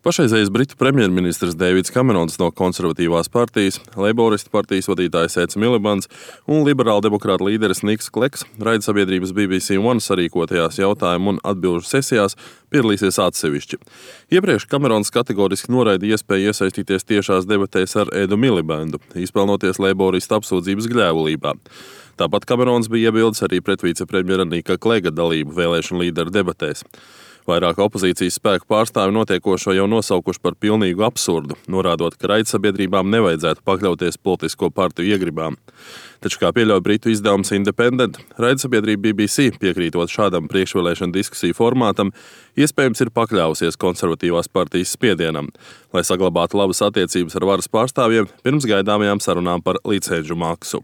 Pašreizējais Britu premjerministrs Deivids Kamerons no konservatīvās partijas, Leiboristu partijas vadītājs Eds Milibans un liberāldemokrāta līderis Niks Kleks raidsabiedrības BBC One sarīkotajās jautājumu un atbilžu sesijās piedalīsies atsevišķi. Iepriekš Kamerons kategoriski noraida iespēju iesaistīties tiešās debatēs ar Edu Milibandu, izpelnoties Leiboristu apsūdzības gļēvulībā. Tāpat Kamerons bija iebildes arī pret vicepremjera Nika Klega dalību vēlēšanu līderu debatēs. Vairāk opozīcijas spēku pārstāvi notiekošo jau nosaukuši par pilnīgu absurdu, norādot, ka raidsabiedrībām nevajadzētu pakļauties politisko partiju iegribām. Taču, kā pieļauj britu izdevums Independent, raidsabiedrība BBC, piekrītot šādam priekšvēlēšanu diskusiju formātam, iespējams ir pakļāvusies konservatīvās partijas spiedienam, lai saglabātu labas attiecības ar varas pārstāvjiem pirms gaidāmajām sarunām par licenču maksu.